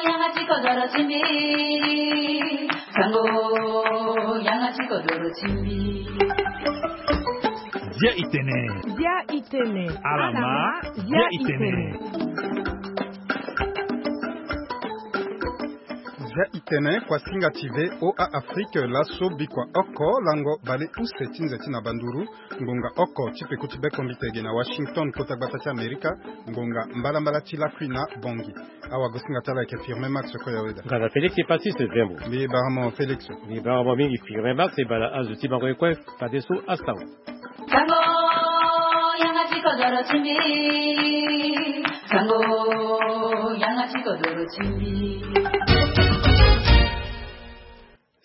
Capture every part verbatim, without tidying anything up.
Yanga ti kodoro ti mbi. Sango, yanga ti kodoro ti mbi. Dia itene. Dia itene. Alama. Dia itene. Dia itene. Kuasinga ti V O A Afrique, laso bikua oko lango bale use ti nze ti na banduru. Ngonga oko ti peko ti bekombite ge na Washington, kota gbata ti Amerika. Ngonga mbalambala ti lakui na Bongi. Awagosinga ti ala ayeke Firmin Max Koyaweda. Nga na Félix Epatis Zembo. Mbi bara mo Félix. Mbi bara mo mingi Firmin Max, e bala azo ti bango ye kue. Fadeso asango. Sango, yanga ti kodoro ti mbi. Sango, yanga ti kodoro ti mbi.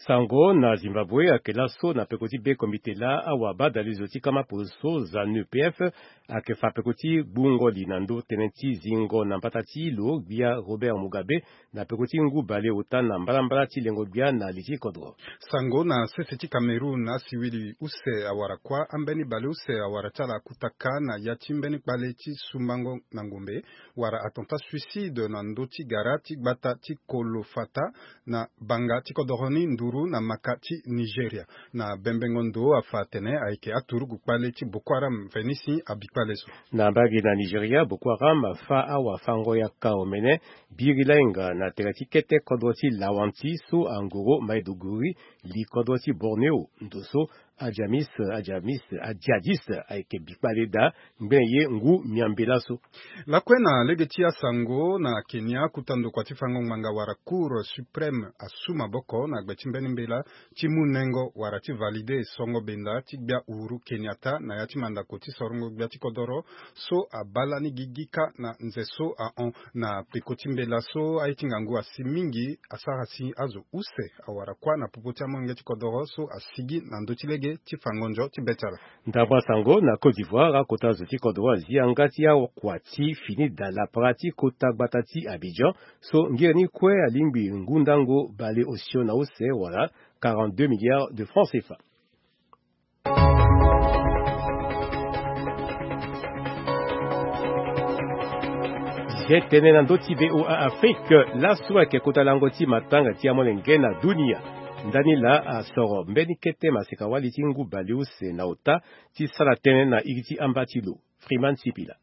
Sango na Zimbabwe ayeke laso na peko ti bekombite laa awabadalezo ti kama poso ZANU P F ayeke fa peko ti gbungo li na ndö tënë ti zingo na mbata ti lo gbia Robert Mugabe na peko ti ngu baleota na mbalambala ti lengo gbia na li ti kodro. Sango na sese ti Cameroun, asiwili use awara kuâ, ambeni baleuse awara ti ala akutaka na ya ti mbeni kpale ti sumbango na ngombe, wala attentat suicide na ndö ti gara ti gbata ti Kolofata, na banga ti kodoro ni nduru na maka ti Nigeria. Na bembengo ndo afa atene ayeke aturugu kpale ti Boko Haram mveni si abi kpale so. Na mbage na Nigeria, Boko Haram afa awafango-yaka omene biri lainga na tere ti kete kodro ti Lawanti so angoro Maiduguri, li kodro ti Borneo. Ndo so ajamis ajamis ajadis ayeke bi kpale daa. Ngbene ye ngu miambela so. Lakue na lege ti asango na Kenya, kuta ndokua ti fango ngbanga wala Cour suprême asu maboko na gbe ti mbeni mbela ti mu nengo wala ti valide songo benda ti gbia Uhuru Kenyatta na ya ti mandako ti sorongo gbia ti kodoro so abaa lani gigi kâ na nze so ahon. Na peko ti mbela so, aye ti ngangu asi mingi asara si azo use awara kuâ na popo ti amolenge ti kodoro so asigi na ndö ti lege ti fango nzo ti be ti ala. Ndambo asango na Côte d'Ivoire, akota zo ti kodro azi yanga ti akua ti fini daa lapara ti kota gbata ti Abidjan so ngere ni kue alingbi ngu ndango baleosio na use wala quarante-deux milliards de francs C F A. Zi tene na ndö ti V O A Afrique, laso ayeke kota lango ti matanga ti amolenge na dunia. Ndani laa asoro mbeni kete maseka wali ti ngu baleuse na ota ti sara tënë na iri ti amba ti lo. Freeman Sipila.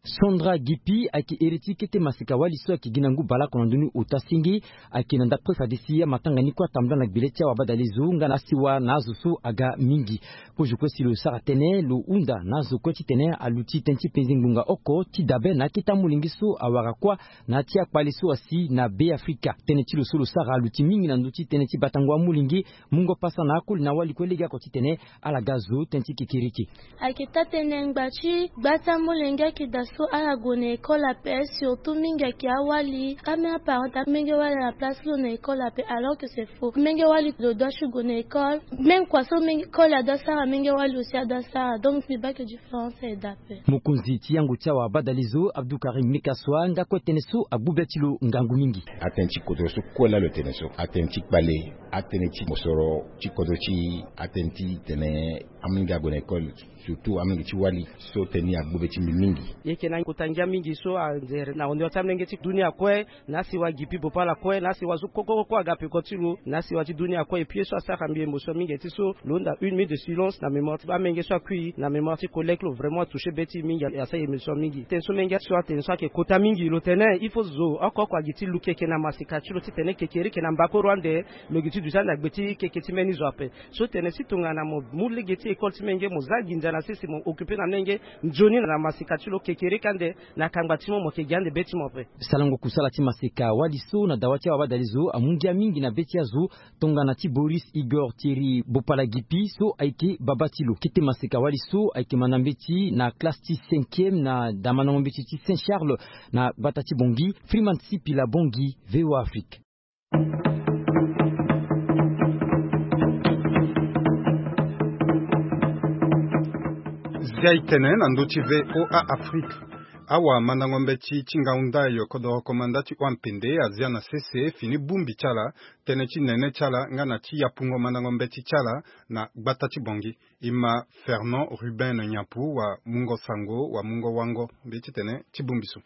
Sandra Gipi ayeke iri ti kete maseka wali so ayeke gi na ngu baleoko na ndö ni ota senge. Ayeke na ndapre fade si amatanga ni kue atambula na gbele ti awabadalezo nga na asiwa na azo so aga mingi. Kozo kue si lo sara tënë lo hunda na azo kue titene aluti tënë ti penze ngbonga oko ti dabe na akete amolenge so awara kuâ na ya ti akpale so asi na Be Afrika. Tënë ti lo so lo sara aluti mingi na ndö ti tënë ti batango amolenge, mungo pasa na akoli na awali kue legeoko titene ala ga zo tënë ti kekereke. Ayeke taa-tënë ngba ti gba ti amolenge ayeke daa so ala gue na école ape, surtout mingi ayeke awali. Ambeni aparent ti amolenge wali na place ti lo na école ape, alors que c'est faux. Amolenge wali lo doit ti gue na école. Même kua so amolenge, école adoit sara, amolenge wali aussi adoit sara. Donc mbi baa que différence ayeke daa ape. Mokonzi ti yango ti awabadalezo, Abdou Karim Mekassoua, nga kue tënë so agbu be ti lo ngangu mingi. Atënë ti kodro so kue laa lo tene so, atënë ti kpale, atënë ti mosoro ti kodro ti e, atënë ti tene amolenge ague na école, surtout amolenge ti wali, so tënë ni agbu be ti mbi mingi. E yeke na kota ngia mingi so anzere na hondoro ti amolenge ti dunia kue, na asiwa Gipi Bopala kue, na asiwa so koko koko aga peko ti lo, na asiwa ti dunia kue. Et puis ye so asara mbi émotion mingi ti so lo hunda une minute de silence na mémoire ti amolenge so akui na mémoire ti collègue lo, vraiment atouché be ti e mingi, asara émotion mingi. Tënë so menge so atene so ayeke kota mingi, lo tene il faut zo oko oko agi ti luki eke na maseka ti lo titene kekereke na mbakoro ande lo gi ti duti ande na gbe ti keke ti mbeni zo ape. So tene si tongana mo mu lege ti école ti menge, mo za nginza na sese, mo occupé na menge nzoni na maseka ti lo, kekereke ande na kangba ti mo, mo yeke gi ande be ti mo ape. Sarango kusala ti maseka wali so na dawa ti awabadalezo amu ngia mingi na be ti azo. Tongana ti Boris Igor Thierry Bopala Gipi so ayeke babâ ti lo. Kete maseka wali so ayeke manda mbeti na classe ti cinquième na damandango mbeti ti Saint Charles na gbata ti Bangui. Freeman Sipila, Bangui, V O A Afrique. Zia e tene na ndö ti V O A Afrique. Awamandango mbeti ti ngangu ndai kodoro komanda ti hon ampende azia na sese fini bongbi ti ala, tënë ti nene ti ala nga na ti yapungo mandango mbeti ti ala na gbata ti Bangui. E ma Fernand Ruben Nyampu wamungo sango, wamungo wango mbeti tene ti bongbi so.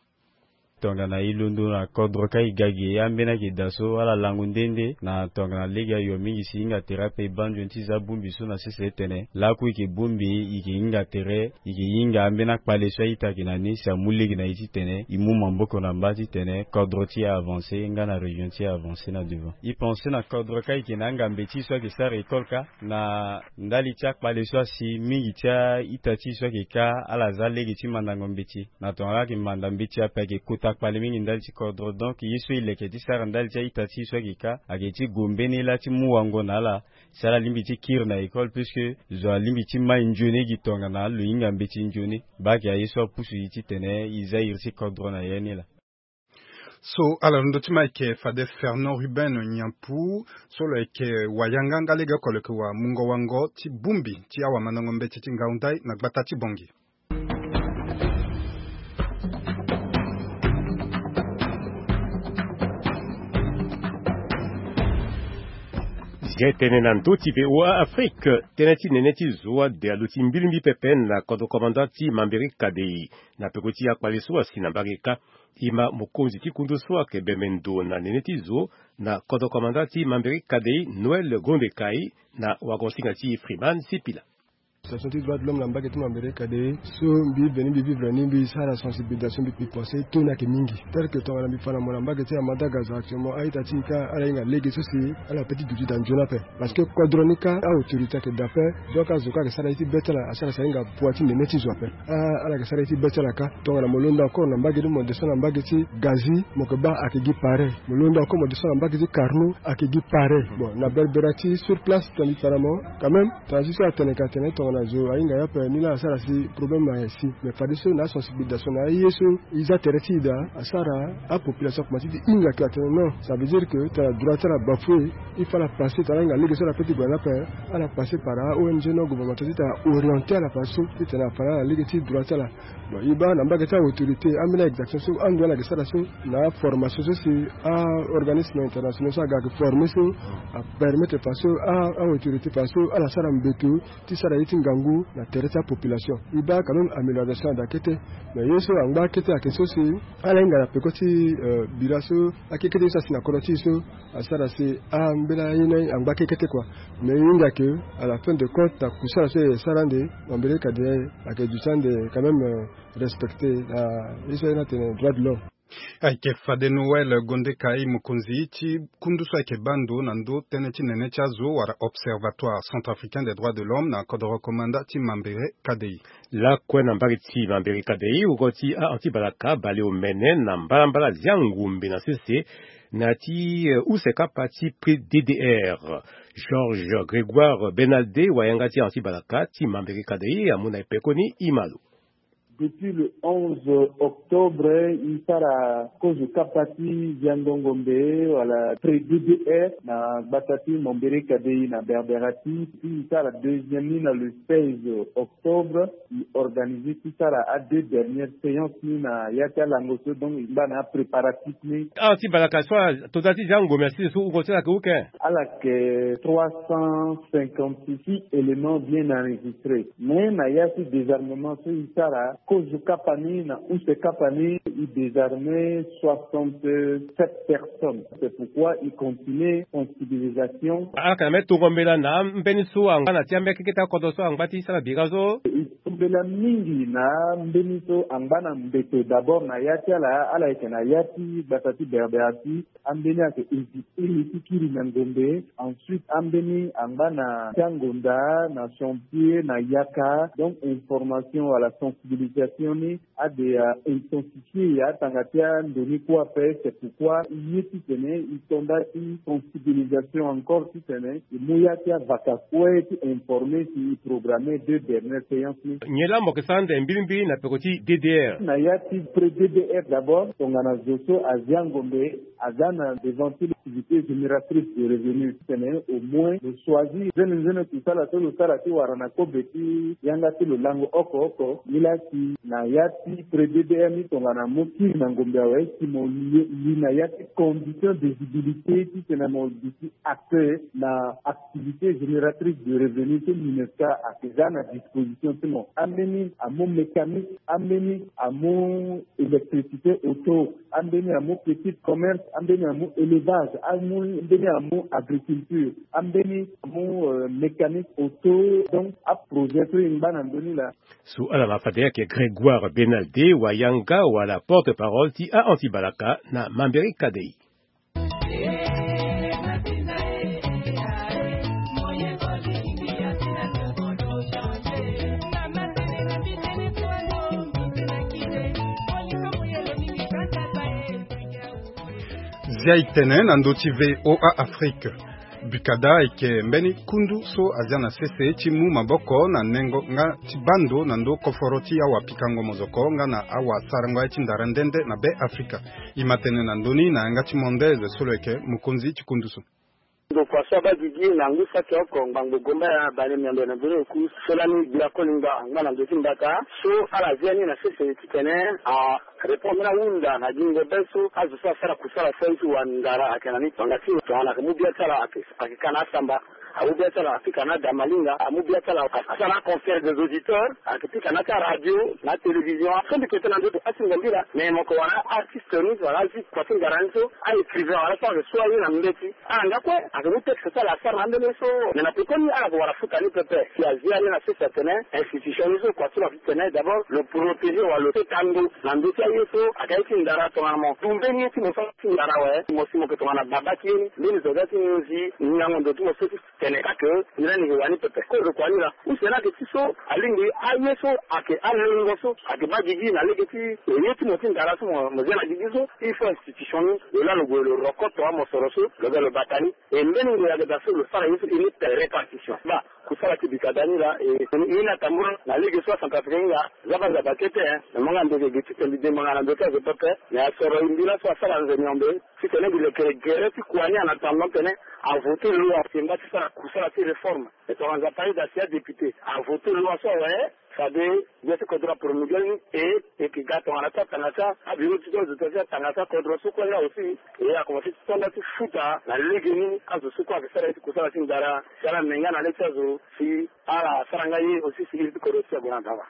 Tongana e londo na kodro kâ e ga ge, ambeni ayeke daa so ala lango nde nde na tongana lege ayo mingi si e hinga tere ape e baa nzoni ti za bongbi so na sese titene lakue e yeke bongbi, e yeke hinga tere, e yeke hinga ambeni akpale so a-ita ayeke na ni si amu lege na e titene e mu maboko na mbage titene kodro ti e avancer nga na région ti e avancer na devant. E pense na kodro kâ e yeke na angambe ti e so ayeke sara école kâ na ndali ti akpale so asi mingi ti a-ita ti e so ayeke kâ ala za lege ti mandango mbeti. Na tongana ala yeke manda mbeti ape ayeke kota kpale mingi ndali ti kodro. Donc ye so e leke ti sara ndali ti a-ita ti e so ayeke kâ ayeke ti gue mbeni lâ ti mu wango na ala si ala lingbi ti kiri na école puisque zo alingbi ti mai nzoni gi tongana lo hinga mbeti nzoni. Baa ayeke aye so apusu e titene e za iri ti kodro na ya ni laa. So ala londo ti ma ayeke fade Fernand Ruben Nyampu so lo yeke wayanga nga lege oko lo yeke wamungo-wango ti bongbi ti awamandango mbeti ti ngau ndai na gbata ti Bangui. Zia tënë na ndö ti V O A Afrique. Tënë ti nene ti zo ade aluti mbilimbi pepe na kodro komanda ti Mambéré Kadei. Na peko ti akpale so asi na mbage kâ, e ma mokonzi ti kundu so ayeke bembe ndo na nene ti zo na kodro komanda ti Mambéré Kadei, Noël Gondekai, na wagonsinga ti Freeman Sipila. Association ti droit de l'homme na mbage ti Mambéré Kadei so mbi veni mbi vivre ni, mbi sara sensibilisation, mbi, mbi pense taux ni ayeke mingi. Tel que tongana mbi fa na mo na mbage ti Amadaga zo actuellement a-ita ti e kâ ala hinga lege so si ala peut ti duti daa nzoni ape. Parce que kodro ni kâ a-autorité ayeke daa ape. Donc azo kâ ayeke sara ye ti be ti ala, asara si ahinga poids ti nene ti zo ape. Ah, ala yeke sara ye ti be ti ala kâ. Tongana mo londo encore na mbage ni, mo descend na mbage ti Gazi, mo yeke baa ayeke gi pareil. Mo londo encore, mo descend na mbage ti Carnot, ayeke gi pareil. Bon, na Berbérati sur place, tongana mbi fa na mo, quand même, tongana so atene ka atene tongana zo ahinga ye ape ni laa asara si problème ayeke si. Mais fadeso na asensibilisation na aye so e za tere ti e daa, asara apopulation akomanse ti hinga ke atene non, ça veut dire que tongana droit ti ala bafoué, il faut ala passer, tongana ahinga lege so ala peut ti gue na ni ape, ala passer par a-O N G non gouvernemental titene aorienter ala fadeso titene afa na ala lege ti droit ti ala. Bon, e baa na mbage ti a-autorité, ambeni a-exaction so ando ala yeke sara so na aformation so si a-organisme international so aga ayeke former so apermettre faso a-autorité faso ala sara mbeto ti sara ye ti ngangu na tere ti apopulation. E baa quand même amélioration ada kete. Mais ye so angba kete ayeke so si ala hinga na peko ti, euh, bira so akekete ye so asi na kodro ti e so asara si ambeni aye ni angba kekete kua. Mais e hinga ke à la fin de compte na kusala so e sara ande, Mambéré Kadei ayeke duti ande quand même, euh, respecté na ye so aye ni atene droit de l'homme. Ayeke fade Noël Gondekai, mokonzi ti kundu so ayeke baa ndo na ndö tënë ti nene ti azo wala Observatoire Centrafricain des Droits de l'Homme na kodro komanda ti Mambéré Kadei. Lakue na mbage ti Mambéré Kadei, wungo ti a-anti-balaka abale omene na mbalambala zia ngombe na sese na ya ti, eh, use kapa ti prix D D R. Georges Grégoire Benalde, wayanga ti a-anti-balaka ti Mambéré Kadei, amu na e pekoni e ma lo. Depuis le onze octobre, e sara kozo kapa ti ziango ngombe wala prix D D R na gbata ti Mambéré Kadei na Berbérati. Puis e sara deuxième ni na le seize octobre. E organiser ti sara a deux dernières séances ni na ya ti alango so, donc e ngba na apréparatif ni. Ah, ti balaka so, total ti ziango ngombe na sese so wungo ti ala ayeke uke? Ala yeke trois cent cinquante-six éléments bien enregistrés. Mais na ya ti désarmement so e sara kozo kapa ni na use kapa ni, e désarmer soixante-sept personnes. C'est pourquoi e continue sensibilisation. Ala yeke na mbeni tongo mbela na ambeni so angba na ti ambeni akekete akodro so angba ti sara bira so? E tongo mbela mingi na ambeni so angba na mbeto. D'abord na ya ti ala, ala yeke na ya ti gbata ti Berbérati. Ambeni ayeke éviter ye ti kiri na ngombe. Ensuite ambeni angba na ti angonda, na chantier, na yaka. Donc information wala sensibilisation ni ade a intensifier atanga ti ando ni kue ape. C'est pourquoi e ye titene e to nda ti sensibilisation encore titene e mu ya ti avaka kue ti informer si e programmer deux dernières séances ni. Nyen laa mo yeke sara ande mbilimbili na peko ti D D R? Na ya ti pré D D R d'abord, tongana zo so azia ngombe aza na devant ti activité génératrice de revenu, titene au moins lo choisir nzene nzene kusala so lo sara ti wara na kobe ti yanga ti lo lango oko oko. Ni laa si na ya ti pré D D R ni tongana mo kiri na ngombe awe, si mo li, li na ya ti condition d'éligibilité titene mo duti acteur na activité génératrice de revenu ti MINUSCA ayeke za na disposition ti mo. Ambeni amu mécanique, ambeni amu électricité auto, ambeni amu petit commerce, ambeni amu élevage, ambeni amu agriculture, ambeni amu euh, mécanique auto. Donc aprojet so e ngba na ndö ni laa. So ala ma fade ayeke Grégoire Benalde Wayanga wala porte-parole ti a anti-balaka na Mambéré Kadei. Zia e tene na ndö ti V O A Afrique. Bikada ayeke mbeni kundu so azia na sese ti mu maboko na nengo nga ti baa ndo na ndö koforo ti awapikango mozoko nga na awasarango aye ti ndara nde nde na Be Afrika. E ma tene na ndö ni na yanga ti Mondaise so lo yeke mokonzi ti kundu so. Ndokua so abaa gigi na ngu saki oko ngbangbo gomba ya bale miambe na ndoni oku so lani gbia koli ngba angba na ndö ti mbata so ala zia ni na sese titene arépondre ahunda na gingo be so azo so asara kusala so aye ti wandara ayeke na ni. Tongana ti tongana ayeke mu bia ti ala ayeke ka na asamba, amu bia ti ala apika na adamalinga, amu bia ti ala asara na concert des auditeurs, ayeke pika na ti aradio na atélévision so mbi yeke tene na ndö ti asingo mbi laa. Mais mo yeke wara artiste ni wala azi kua ti ngara ni so, aécrivain wala so ayeke so aye na mbeti ala nga kue ayeke mu texte ti ala asara na ambeni ye so. Mais na pekoni ala yeke wara futa ni pepe si azi ale na sese atene institution ni so kua ti lo ayeke titene d'abord lo protéger wala lo teta ndo na ndö ti aye so ayeke aye ti ndara. Tongana mo du mbeni ye ti mo so ti ndara awe, mo si mo yeke tongana baba ti ye ni. Mbeni zo ga ti nginzi ngingango ndo ti mo so ti tene ka ke ni lani yeke wani pepe. Kozo kua ni laa use ni ayeke ti so alingbi aye so ayeke alengo so ayeke baa gigi na lege ti ye ti mo ti ndara so mo zia na gigi so. Il faut institution ni lo laa lo gue lo roko tonga mosoro so lo ga lo bata ni. E mbeni ngoi ayeke daa so lo sara ye so e ni répartition baa kusala ti bikada ni laa e ni atambula na lege so acentrafricain ni laa. Za baa nzapa kete. Me mo nga ndo ge ge ti tene mbi dembanga na ndo ti azo pepe. Me asoro e mbi laso asara nze miombe titene mbi lekere gere ti kua ni en attendant tene avote loi si e mba ti sara kusala ti réforme. E tongana nzapa aye daa si adéputé avote loi so awe fade gbia ti kodro apromulgué ni. E e yeke ga tongana ti atanga ti abureau ti azo ti atanga ti akodro so kue nga aussi. E akomanse ti tonda ti futa na legeni azo so kue ayeke sara ye ti kusala ti ndara si ala me nga na le ti azo si ala sara nga ye aussi si iri ti kodro ti ague na daba.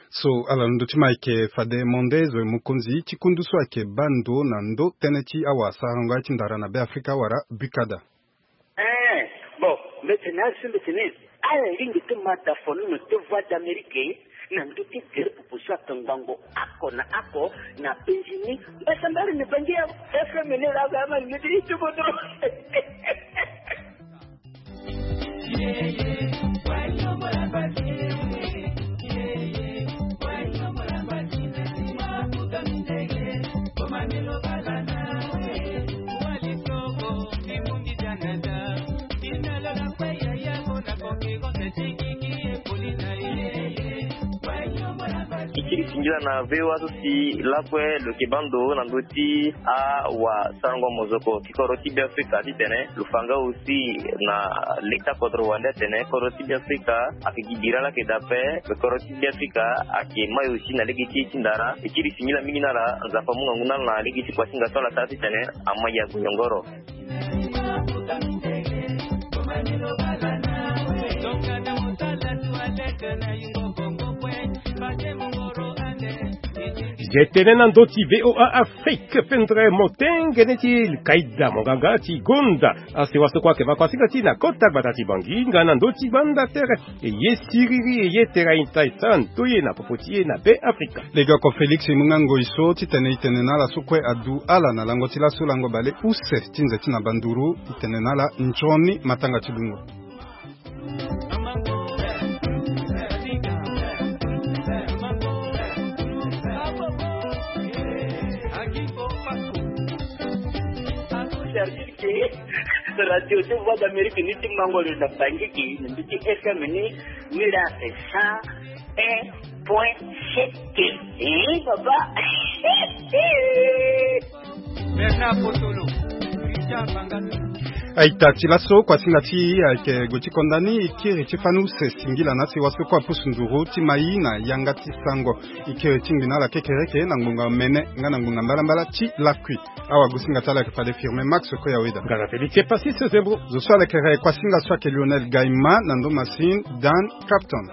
So ala londo ti ma ayeke fade Mondaise mokonzi ti kundu so ayeke baa ndo na ndö tënë ti awasarango aye ti ndara na Be Afrika wala bukada. Eh, bon, mbeti na azo so mbeti ni ala lingbi ti ma da fonono ti Voix d'Amérique na ndö ti gere popo so ayeke ngbangbo oko na oko na penzi ni. Mbeti mbari ni bangi ya F M ni la ga ma ni ti ti bodo. Ikiri singila na V O A so si lakue lo yeke baa ndo na ndö ti awasarango mozoko ti kodro ti Be Afrika titene lo fa nga aussi na leta kodro wande atene kodro ti Be Afrika ayeke gi bira laa ayeke daa ape. Kodro ti Be Afrika ayeke mai aussi na lege ti e ti ndara. E kiri singila mingi na ala. Nzapa amu ngangu na ala na lege ti kua ti nga so ala sara titene ama ya gue yongoro. Ye tene na ndö ti V O A Afrique, pendere motengene ti kaida monganga ti gonda asewa so kue ayeke ma kuasinga ti na kota gbata ti Bangi nga na ndö ti banda tere. E ye siriri e ye tera inta e sara nto ye na popo ti e na Be Afrika. Legeoko Félix e mu nga ngoi so titene e tene na ala so kue adu ala na lango ti laso lango bale use ti nze ti na banduru. E tene na ala nzoni matanga ti lungo. Service ke radio ti Voix d'Amérique ni ti mango lo na Bangi ke na mbi ti F M ni ni la cent un point sept. Eh, papa. Bernard Potolo, Richard Bangata. Aita ti laso kuasinga ti ayeke gue ti konda ni e kiri ti fani use singila na si waso kue apusu nduru ti mai na yanga ti sango. E kiri ti ngbi na ala kekereke na ngbonga mene nga na ngbonga mbalambala ti lakui. Awagosinga ti ala ayeke fade firme max koya weda. Ngana felix epassis zembo. Zo so alekere kuasinga so ayeke lionel gaima na ndo masine dan capton.